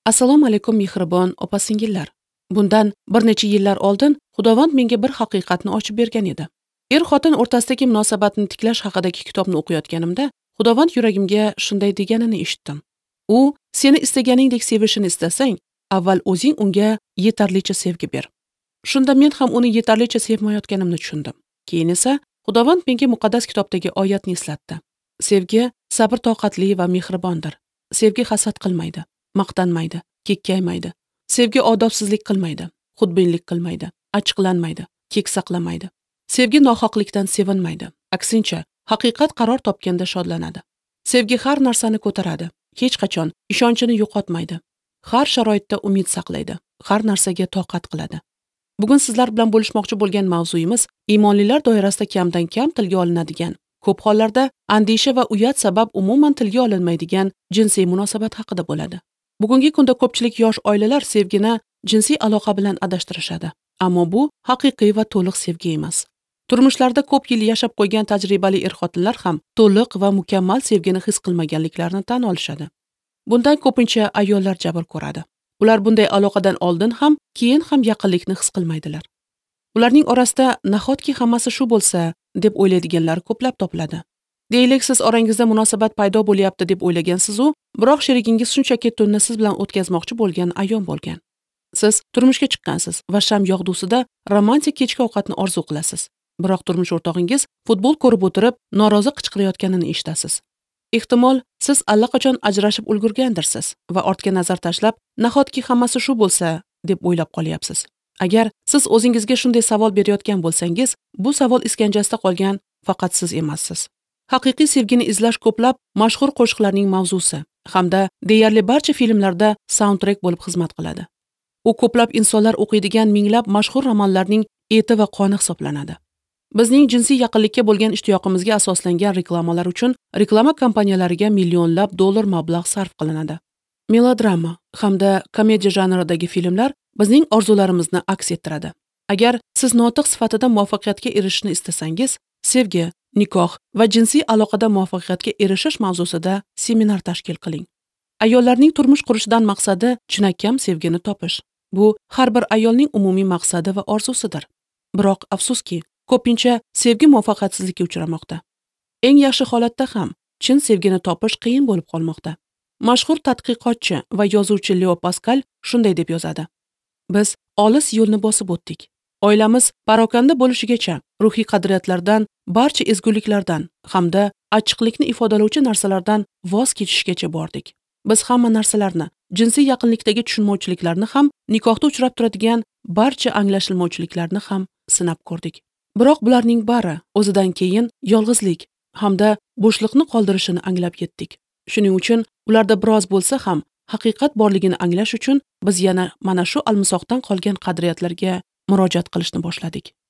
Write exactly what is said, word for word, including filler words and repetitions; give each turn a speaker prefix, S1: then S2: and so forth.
S1: Assalomu alaykum mehribon opa-singillar. Bundan bir necha yillar oldin Xudovand menga bir haqiqatni ochib bergan edi. Er-xotin o'rtasidagi munosabatni tiklash haqidagi kitobni o'qiyotganimda Xudovand yuragimga shunday deganini eshitdim. U seni istaganingdek sevishini istasang, avval o'zing unga yetarlicha sevgi ber. Shunda men ham uni yetarlicha sevmayotganimni tushundim. Keyin esa Xudovand menga muqaddas kitobdagi oyatni eslatdi. Sevgi sabr-toqatli va mehribondir. Sevgi hasad qilmaydi, maqtanmaydi, kekkaymaydi. Sevgi odobsizlik qilmaydi, xudbinlik qilmaydi, achchiqlanmaydi, kek saqlamaydi. Sevgi nohaqlikdan sevinmaydi. Aksincha, haqiqat qaror topganda shodlanadi. Sevgi har narsani ko'taradi, hech qachon ishonchini yo'qotmaydi. Har sharoitda umid saqlaydi, har narsaga toqat qiladi. Bugun sizlar bilan bo'lishmoqchi bo'lgan mavzuyimiz iymonlilar doirasida kamdan kam tilga olinadigan, ko'p hollarda andisha va uyat sabab umuman tilga olinmaydigan jinsiy munosabat haqida bo'ladi. Bugungi kunda ko'pchilik yosh oilalar sevgini jinsiy aloqa bilan adashtirishadi. Ammo bu haqiqiy va to'liq sevgi emas. Turmushlarda ko'p yil yashab qo'ygan tajribali er-xotinlar ham to'liq va mukammal sevgini his qilmaganliklarini tan olishadi. Bundan ko'pincha ayollar jabr ko'radi. Ular bunday aloqadan oldin ham, keyin ham yaqinlikni his qilmaydilar. Ularning orasida nahotki hammasi shu bo'lsa deb o'ylaydiganlar ko'plab topiladi. Deylik, siz orangizda munosabat paydo bo'lyapti deb o'ylagansiz-u, biroq sherigingiz shunchaki tunni siz bilan o'tkazmoqchi bo'lgan ayon bo'lgan. Siz turmushga chiqqansiz va sham yog'dusida romantik kechki ovqatni orzu qilasiz. Biroq turmush o'rtog'ingiz futbol ko'rib o'tirib, norozi qichqirayotganini eshitasiz. Ehtimol, siz allaqachon ajrashib ulgurgandirsiz va ortga nazar tashlab, nahotki hammasi shu bo'lsa deb o'ylab qolyapsiz. Agar siz o'zingizga shunday savol berayotgan bo'lsangiz, bu savol iskanjasida qolgan faqat siz emassiz. Haqiqiy sevgini izlash ko'plab mashhur qo'shiqlarning mavzusi hamda deyarli barcha filmlarda soundtrack bo'lib xizmat qiladi. U ko'plab insonlar o'qiydigan minglab mashhur romanlarning eti va qoni hisoblanadi. Bizning jinsiy yaqinlikka bo'lgan ishtiyoqimizga asoslangan reklamalar uchun reklama kompaniyalariga millionlab dollar mablag' sarf qilinadi. Melodrama hamda komediya janridagi filmlar bizning orzularimizni aks ettiradi. Agar siz notiq sifatida muvaffaqiyatga erishishni istasangiz, sevgi, nikoh va jinsiy aloqada muvaffaqiyatga erishish mavzusida seminar tashkil qiling. Ayollarning turmush qurishidan maqsadi chinakam sevgini topish. Bu har bir ayolning umumiy maqsadi va orzusidir. Biroq afsuski, ko'pincha sevgi muvaffaqiyatsizlikka uchramoqda. Eng yaxshi holatda ham chin sevgini topish qiyin bo'lib qolmoqda. Mashhur tadqiqotchi va yozuvchi Leo Paskal shunday deb yozadi: Biz olis yo'lni bosib o'tdik. Oilamiz parokanda bo'lishigacha ruhiy qadriyatlardan, barcha ezguliklardan hamda achchiqlikni ifodalovchi narsalardan voz kechishgacha bordik. Biz hamma narsalarni, jinsiy yaqinlikdagi tushunmovchiliklarni ham, nikohda uchrab turadigan barcha anglashilmovchiliklarni ham sinab ko'rdik. Biroq bularning bari o'zidan keyin yolg'izlik hamda bo'shliqni qoldirishini anglab yetdik. Shuning uchun ularda biroz bo'lsa ham haqiqat borligini anglash uchun biz yana mana shu almisoqdan qolgan qadriyatlarga murojaat qilishni boshladik.